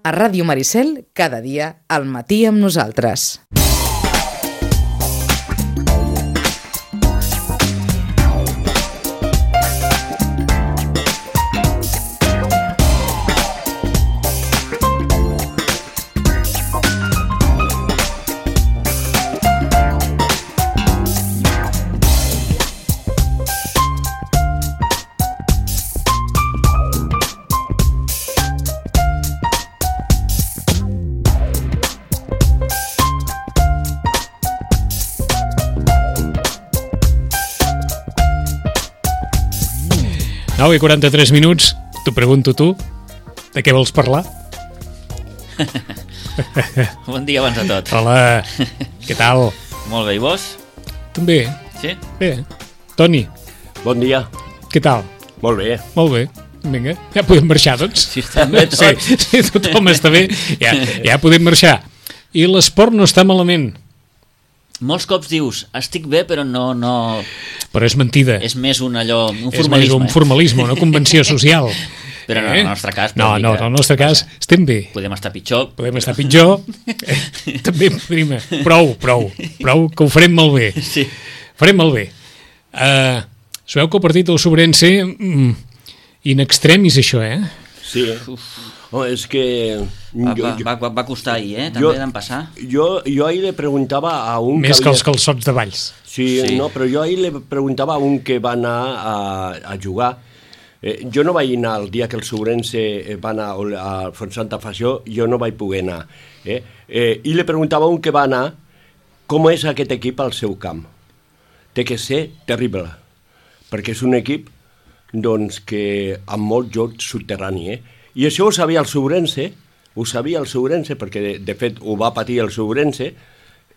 A Ràdio Maricel, cada dia, al matí amb nosaltres. I 43 minuts, t'ho pregunto tu, de què vols parlar? Bon dia abans de tot. Hola, què tal? Molt bé, i vos? També. Sí? Bé. Toni, Bon dia. què tal? Molt bé. Molt bé. Vinga, ja podem marxar, doncs? Si estem bé tots. Sí, tothom està bé, ja podem marxar. I l'esport no està malament. Molts cops dius, estic bé, però no... Però és mentida. És més un És formalisme. més un formalisme, una convenció social. Però no, en el nostre cas... No, en el nostre cas estem bé. Podem estar pitjor. Podem estar pitjor. També, prima. Prou, que ho farem molt bé. Sí. Farem molt bé. Sabeu que el partit del Sobrense in extremis, això, Sí. Oh, és que... Va costar ahir, també d'en passar. Jo ahir le preguntava a un... Més que els calçots de Valls. Sí, no, però jo ahir le preguntava a un que va anar a jugar. Jo no vaig anar el dia que el Sobrense va anar a Fontsanta Fació, jo no vaig poder anar. I le preguntava a un que va anar com és aquest equip al seu camp. Té que ser terrible, perquè és un equip doncs, que amb molt joc subterrani. I això ho sabia el Sobrense, perquè de fet ho va patir el Sobrense,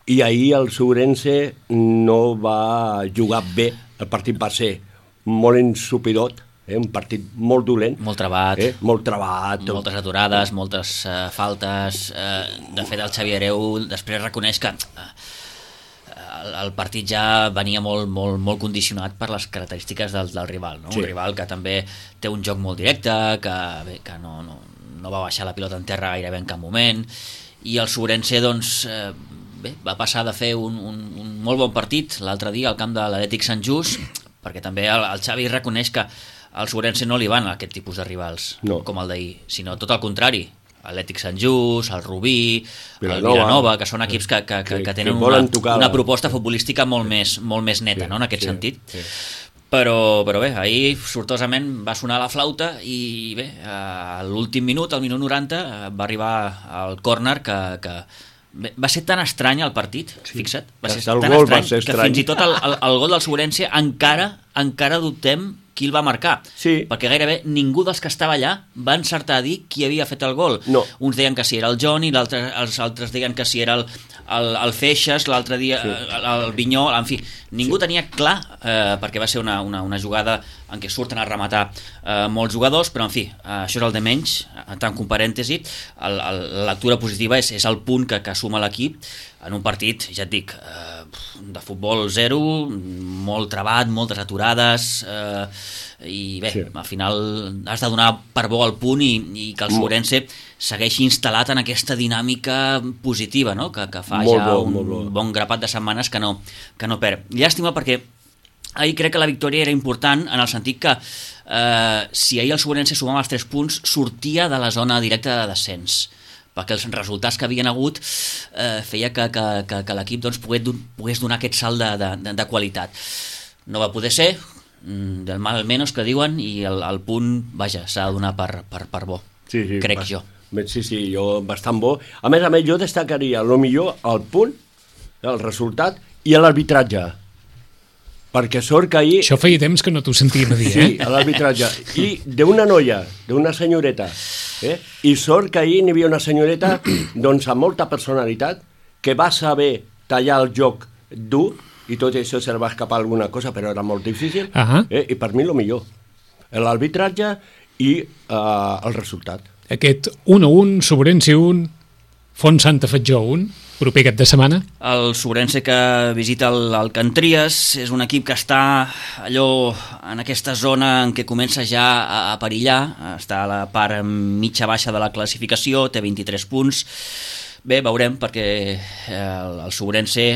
i ahir el Sobrense no va jugar bé. El partit va ser molt ensupidot, un partit molt dolent. Molt trabat. Molt trabat. Moltes aturades, moltes faltes. De fet, el Xavi Hereu després reconeix que el partit ja venia molt condicionat per les característiques del rival, no? Sí. Un rival que també té un joc molt directe, que no va baixar la pilota en terra gairebé en cap moment, i el Sobrense doncs, va passar de fer un molt bon partit l'altre dia al camp de l'Atlètic Sant Just, perquè també el Xavi reconeix que al Sobrense no li van aquest tipus de rivals, com el d'ahir, sinó tot el contrari. Atlètic Sant Just, el Rubí, el Vilanova, que són equips que tenen una proposta futbolística molt més neta, no, en aquest sentit. Sí. Però bé, ahir sortosament va sonar la flauta i bé, a l'últim minut, al minut 90, va arribar el córner que va ser tan estrany el partit, fixa't, va ser tan estrany que fins i tot el gol del Sobrense encara dubtem qui el va marcar, perquè gairebé ningú dels que estava allà va encertar a dir qui havia fet el gol. Uns deien que si era el Johnny, els altres deien que si era el Feixes, l'altre dia el Vinyol, en fi, ningú tenia clar, perquè va ser una jugada en què surten a rematar molts jugadors, però en fi, això és el de menys, tant com parèntesi. La lectura positiva és el punt que suma l'equip en un partit, ja et dic, de futbol zero, molt trabat, moltes aturades, i bé, al final has de donar per bo el punt i que el Sobrense segueixi instal·lat en aquesta dinàmica positiva, no? que fa un bon grapat de setmanes que no perd. Llàstima perquè ahir crec que la victòria era important en el sentit que si ahir el Sobrense sumava els 3 punts sortia de la zona directa de descens, perquè els resultats que havien hagut feia que l'equip doncs, pogués donar aquest salt de qualitat. No va poder ser, del mal menos que diuen, i el punt, vaja, s'ha de donar per bo, crec jo. Sí, jo bastant bo. A més, jo destacaria millor el punt, el resultat i l'arbitratge. Perquè sort que ahir... Això feia temps que no t'ho sentíem a dir, Sí, a l'arbitratge. I d'una noia, d'una senyoreta. I sort que ahir n'hi havia una senyoreta doncs amb molta personalitat que va saber tallar el joc dur i tot això se va escapar alguna cosa, però era molt difícil. I per mi millor. L'arbitratge i el resultat. Aquest 1-1, Sobrense 1, Fontsanta Fatjó 1, proper cap de setmana? El Sobrense que visita el Cantries és un equip que està allò en aquesta zona en què comença ja a perillar, està a la part mitja baixa de la classificació, té 23 punts. Bé, veurem, perquè el Sobrense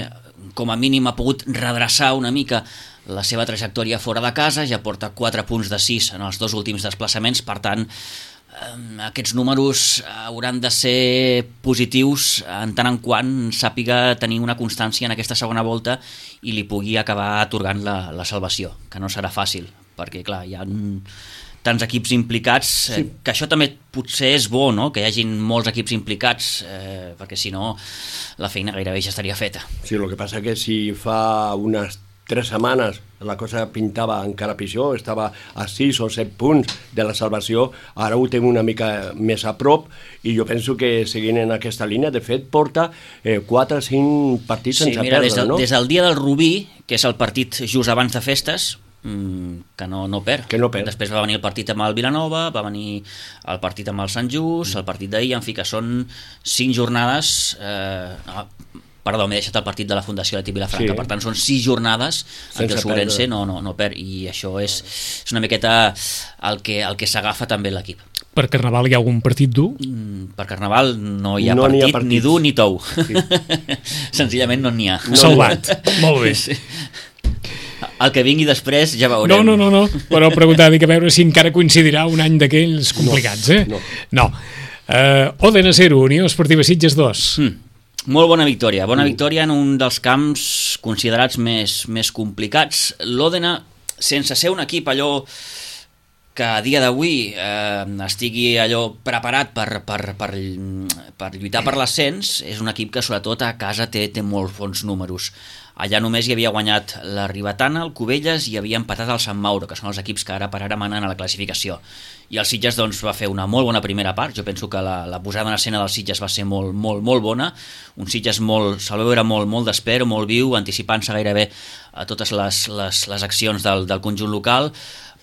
com a mínim ha pogut redreçar una mica la seva trajectòria fora de casa, ja porta 4 punts de 6 en els 2 últims desplaçaments, per tant aquests números hauran de ser positius en tant en quant sàpiga tenir una constància en aquesta segona volta i li pugui acabar atorgant la salvació, que no serà fàcil, perquè clar, hi ha tants equips implicats, que això també potser és bo, no?, que hi hagin molts equips implicats, perquè si no la feina gairebé ja estaria feta. Sí, el que passa que si fa unes 3 setmanes la cosa pintava encara pitjor, estava a 6 o 7 punts de la salvació, ara ho té una mica més a prop i jo penso que seguint en aquesta línia, de fet porta 4 o 5 partits sense perdre, no? Des del dia del Rubí, que és el partit just abans de festes, que no perd. Després va venir el partit amb el Vilanova, va venir el partit amb el Sant Just, el partit d'ahir, en fi, que són 5 jornades... Perdó, m'he deixat el partit de la Fundació Leti Vilafranca, per tant són 6 jornades en què el Sobrense no perd, i això és una miqueta el que s'agafa també l'equip. Per Carnaval hi ha algun partit dur? Per Carnaval no hi ha partit ni dur ni tou. Sí. Senzillament no n'hi ha. Salvat, molt bé. Sí. El que vingui després ja veurem. No, però preguntar, dic, a veure si encara coincidirà un any d'aquells complicats, No. Òdena 0, Unió Esportiva Sitges 2. Molt bona victòria en un dels camps considerats més complicats. L'Òdena, sense ser un equip allò que a dia d'avui estigui allò preparat per lluitar per l'ascens, és un equip que sobretot a casa té molts bons números. Allà només hi havia guanyat la Ribetana, el Cubelles, i havia empatat el Sant Mauro, que són els equips que ara per ara manen a la classificació. I el Sitges doncs, va fer una molt bona primera part. Jo penso que la posada en escena del Sitges va ser molt bona. Un Sitges se'l va veure molt despert, molt viu, anticipant-se gairebé a totes les accions del conjunt local.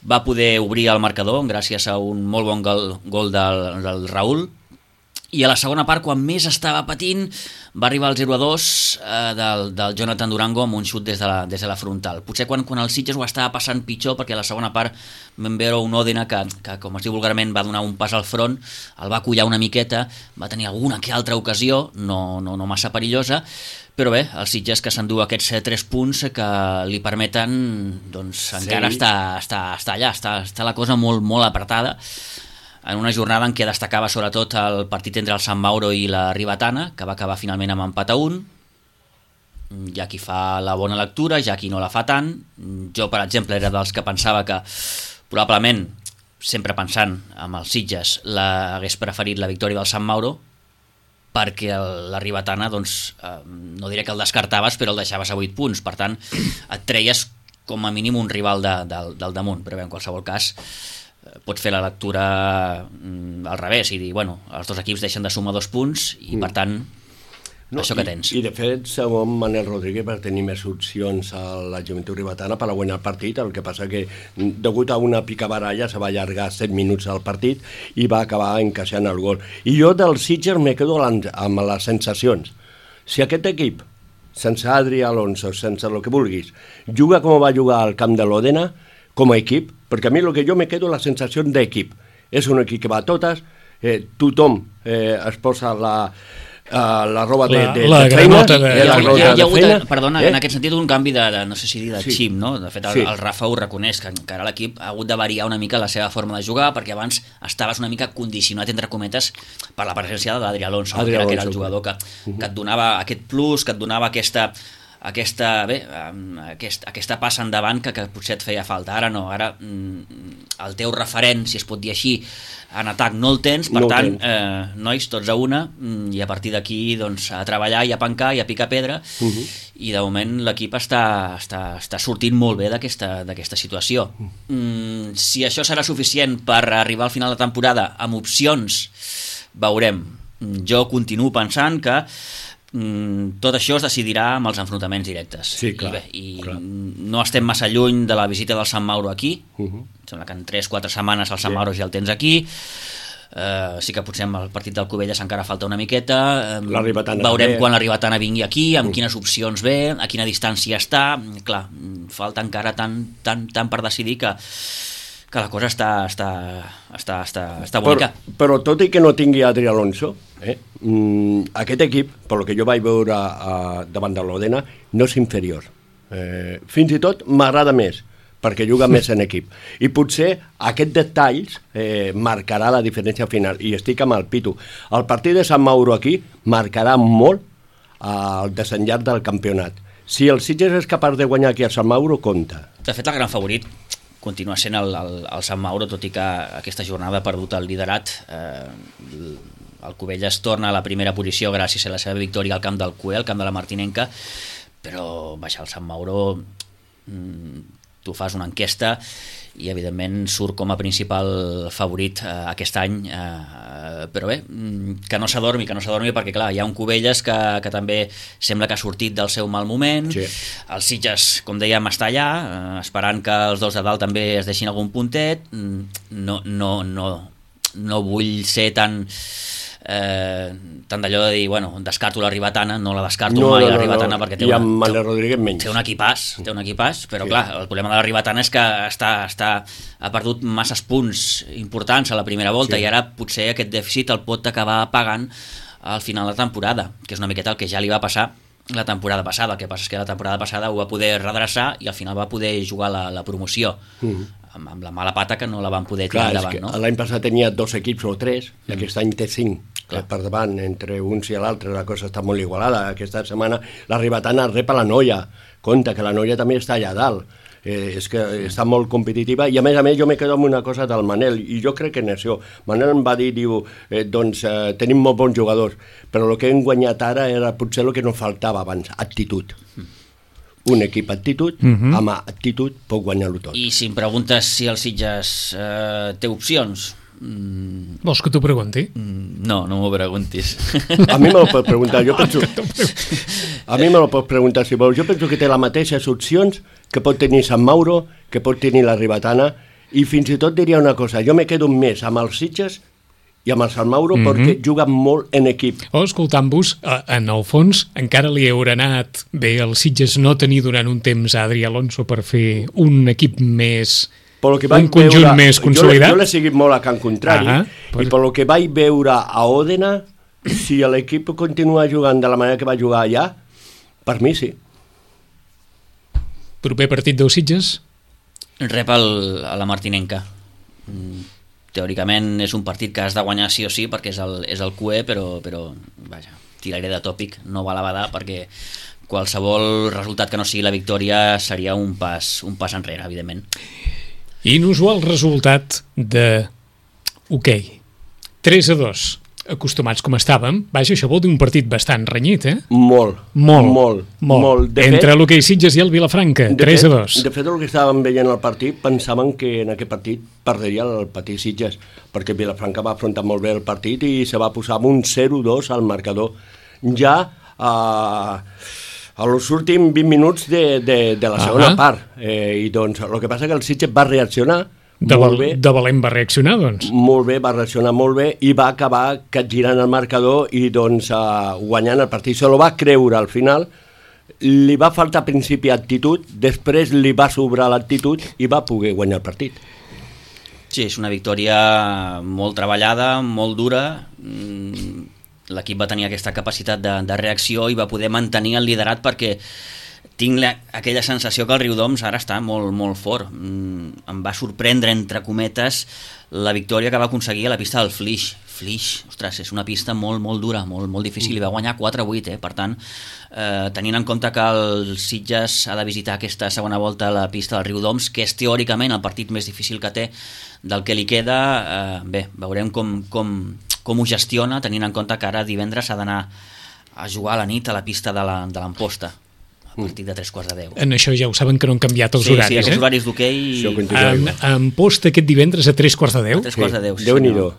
Va poder obrir el marcador gràcies a un molt bon gol del Raül. I a la segona part, quan més estava patint, va arribar el 0-2 del Jonathan Durango amb un xut des de la frontal. Potser quan el Sitges ho estava passant pitjor, perquè a la segona part vam veure un Òdena que, com es diu vulgarment, va donar un pas al front, el va collar una miqueta, va tenir alguna que altra ocasió, no massa perillosa, però bé, el Sitges que s'endú aquests 3 punts que li permeten, doncs encara està allà, està la cosa molt apretada, en una jornada en què destacava sobretot el partit entre el Sant Mauro i la Ribetana, que va acabar finalment amb empat a 1. Hi ha qui fa la bona lectura, hi ha qui no la fa tant. Jo, per exemple, era dels que pensava que probablement, sempre pensant amb els Sitges, hagués preferit la victòria del Sant Mauro, perquè la Ribetana, doncs, no diré que el descartaves, però el deixaves a 8 punts. Per tant, et treies com a mínim un rival del damunt, però bé, en qualsevol cas pots fer la lectura al revés i dir, bueno, els dos equips deixen de sumar 2 punts i per tant això que tens. I de fet, segon Manel Rodríguez va tenir més opcions a la Joventut Ribetana per a guanyar el partit, el que passa que degut a una picabaralla se va allargar 7 minuts al partit i va acabar encaixant el gol. I jo del Sitges me quedo amb les sensacions. Si aquest equip, sense Adri Alonso, sense el que vulguis, juga com va jugar al camp de l'Òdena, com a equip, perquè a mi el que jo me quedo la sensació d'equip. És un equip que va a totes, tothom es posa la roba de feina. Hi ha hagut, perdona, en aquest sentit un canvi no sé si dir de xip, no? De fet, el Rafa ho reconeix, que encara l'equip ha hagut de variar una mica la seva forma de jugar, perquè abans estaves una mica condicionat, entre cometes, per la presència d'Adri Alonso, que era el jugador que et donava aquest plus, que et donava aquesta passa endavant que potser et feia falta. Ara no, ara el teu referent, si es pot dir així, en atac no el tens, per tant, nois, tots a una, i a partir d'aquí doncs, a treballar i a pencar i a picar pedra, i de moment l'equip està sortint molt bé d'aquesta situació. Si això serà suficient per arribar al final de temporada amb opcions, veurem. Jo continuo pensant que tot això es decidirà amb els enfrontaments directes. Sí, clar, clar. No estem massa lluny de la visita del Sant Mauro aquí. Sembla que en 3-4 setmanes el Sant Mauro ja el tens aquí. Sí que potser amb el partit del Cubelles encara falta una miqueta, Ribetana veurem també. quan la Ribetana vingui aquí, amb quines opcions ve, a quina distància està. Clar, falta encara tant per decidir que la cosa està bonica. Però tot i que no tingui Adri Alonso, aquest equip, pel que jo vaig veure davant de l'Odena, no és inferior. Fins i tot m'agrada més, perquè juga més en equip. I potser aquests detalls marcarà la diferència final. I estic amb el Pitu. El partit de Sant Mauro aquí marcarà molt el desenllaç del campionat. Si el Sitges és capaç de guanyar aquí a Sant Mauro, compta. De fet, el gran favorit continua sent el Sant Mauro, tot i que aquesta jornada ha perdut el liderat. El Cubelles torna a la primera posició gràcies a la seva victòria al camp del Cué, al camp de la Martinenca, però baixar el Sant Mauro... tu fas una enquesta i evidentment surt com a principal favorit aquest any, però bé, que no s'adormi perquè clar, hi ha un Cubelles que també sembla que ha sortit del seu mal moment, sí. El Sitges, com dèiem, està allà, esperant que els dos de dalt també es deixin algun puntet. No vull ser tan d'allò de dir, bueno, descarto la Ribetana, no la descarto mai la Ribetana, perquè té Rodríguez menys. Té un equipàs, però sí. Clar, el problema de la Ribetana és que ha perdut masses punts importants a la primera volta, sí. I ara potser aquest dèficit el pot acabar pagant al final de la temporada, que és una miqueta el que ja li va passar la temporada passada. El que passa és que la temporada passada ho va poder redreçar i al final va poder jugar la promoció. Amb la mala pata que no la van poder tirar endavant, no? L'any passat tenia 2 equips o 3, i aquest any té 5 per davant, entre uns i l'altre la cosa està molt igualada. Aquesta setmana la Ribetana rep a la Noia, compte que la Noia també està allà dalt, és que està molt competitiva, i a més jo me quedo amb una cosa del Manel, i jo crec que en això, Manel em va dir, tenim molt bons jugadors, però el que hem guanyat ara era potser el que no faltava abans, actitud. Un equip actitud, amb actitud pot guanyar-ho tot. I si em preguntes si el Sitges té opcions... Vols que t'ho pregunti? No m'ho preguntis. A mi me lo pots preguntar, jo penso... A mi me lo pots preguntar si vols. Jo penso que té les mateixes opcions que pot tenir Sant Mauro, que pot tenir la Ribetana, i fins i tot diria una cosa, jo me quedo més amb els Sitges i amb el Sant Mauro perquè juguen molt en equip. Escoltant-vos, en el fons encara li haurà anat bé el Sitges no tenir durant un temps a Adri Alonso per fer un equip més... un conjunt més consolidat. Jo l'he seguit molt a Can Contrari, i pel que vaig veure a Òdena, si l'equip continua jugant de la manera que va jugar allà, per mi sí. Proper partit del Sitges? Rep a la Martinenca. Teòricament és un partit que has de guanyar sí o sí perquè és el Cué, però vaja, tiraré de tòpic, no val a badar, perquè qualsevol resultat que no sigui la victòria seria un pas enrere, evidentment. Inusual resultat de hoquei. 3-2. Acostumats com estàvem, vaja, això vol dir un partit bastant renyit, Molt. Entre l'hoquei Sitges i el Vilafranca, 3-2. De fet, el que estàvem veient al partit, pensaven que en aquest partit perdria el petit Sitges, perquè Vilafranca va afrontar molt bé el partit i se va posar amb un 0-2 al marcador. Ja a los últims 20 minuts de la segona part. I doncs, el que passa que el Sitges va reaccionar molt bé. De valent va reaccionar, doncs. Molt bé, va reaccionar molt bé i va acabar capgirant el marcador i doncs guanyant el partit. Se lo va creure al final, li va faltar a principi actitud, després li va sobrar l'actitud i va poder guanyar el partit. Sí, és una victòria molt treballada, molt dura. L'equip va tenir aquesta capacitat de reacció i va poder mantenir el liderat, perquè tinc aquella sensació que el Riudoms ara està molt, molt fort. Em va sorprendre, entre cometes, la victòria que va aconseguir a la pista del Flix. Ostres, és una pista molt, molt dura, molt, molt difícil, i va guanyar 4-8, Per tant, tenint en compte que el Sitges ha de visitar aquesta segona volta a la pista del Riudoms, que és teòricament el partit més difícil que té del que li queda, bé, veurem com ho gestiona, tenint en compte que ara divendres s'ha d'anar a jugar a la nit a la pista de l'Amposta, a partir de 3:15. En això ja ho saben, que no han canviat els horaris. Sí, els horaris d'hoquei. Amposta aquest divendres a 3:15. A 3:15, sí. Déu-n'hi-do.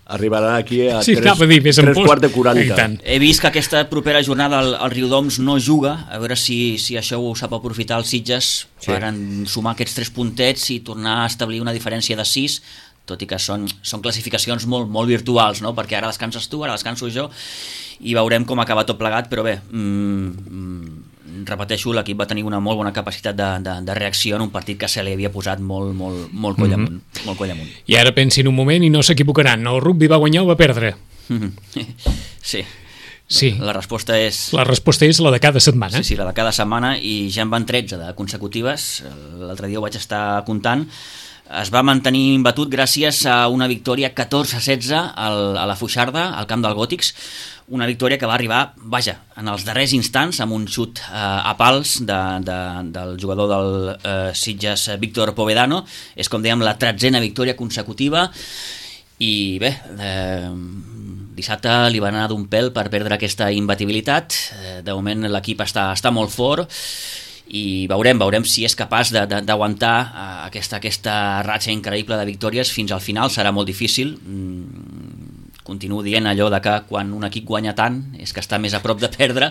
Arribarà aquí a 3:40. He vist que aquesta propera jornada el Riudoms no juga, a veure si això ho sap aprofitar el Sitges per sumar aquests 3 puntets i tornar a establir una diferència de 6, tot i que són classificacions molt virtuals, no? Perquè ara descanses tu, ara descanso jo, i veurem com acaba tot plegat, però bé, repeteixo, l'equip va tenir una molt bona capacitat de reacció en un partit que se li havia posat molt coll amunt, molt coll amunt. I ara pensin un moment i no s'equivocaran, el rugby va guanyar o va perdre? Sí. La resposta és la de cada setmana. Sí, la de cada setmana, i ja en van 13 de consecutives. L'altre dia ho vaig estar comptant. Es va mantenir imbatut gràcies a una victòria 14-16 a la Foixarda, al camp del Gòtics, una victòria que va arribar, en els darrers instants, amb un xut a pals del jugador del Sitges, Víctor Povedano. És, com dèiem, la 13a victòria consecutiva, i bé, dissabte li va anar d'un pèl per perdre aquesta imbatibilitat. De moment l'equip està molt fort, i veurem si és capaç d'aguantar aquesta ratxa increïble de victòries fins al final. Serà molt difícil. Continuo dient allò de que quan un equip guanya tant és que està més a prop de perdre.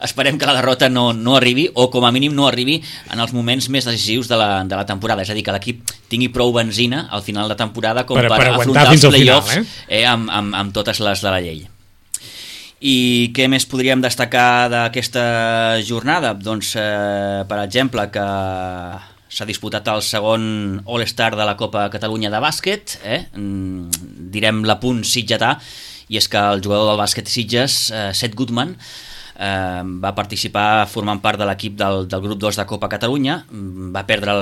Esperem que la derrota no arribi, o com a mínim no arribi en els moments més decisius de la temporada. És a dir, que l'equip tingui prou benzina al final de temporada com per afrontar els play-offs amb totes les de la llei. I què més podríem destacar d'aquesta jornada? Doncs, per exemple, que s'ha disputat el segon All-Star de la Copa Catalunya de bàsquet, direm l'apunt sitgetà, i és que el jugador del bàsquet Sitges, Seth Goodman, va participar formant part de l'equip del grup 2 de Copa Catalunya. Va perdre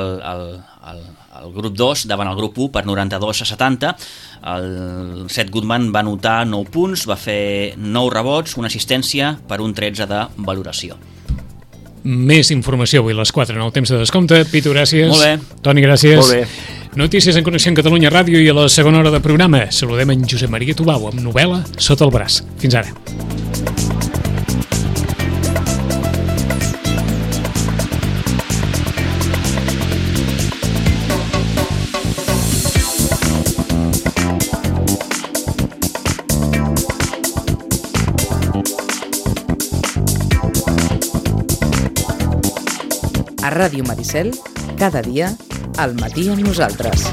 el grup 2 davant el grup 1 per 92-70. El Seth Goodman va anotar 9 punts, va fer 9 rebots, una assistència per un 13 de valoració. Més informació avui a les 4 en el temps de descompte. Pitu, gràcies. Molt bé. Toni, gràcies. Molt bé. Notícies en Connexió en Catalunya Ràdio, i a la segona hora de programa saludem en Josep Maria Tubau amb novel·la sota el braç. Fins ara. A Ràdio Maricel, cada dia, al matí amb nosaltres.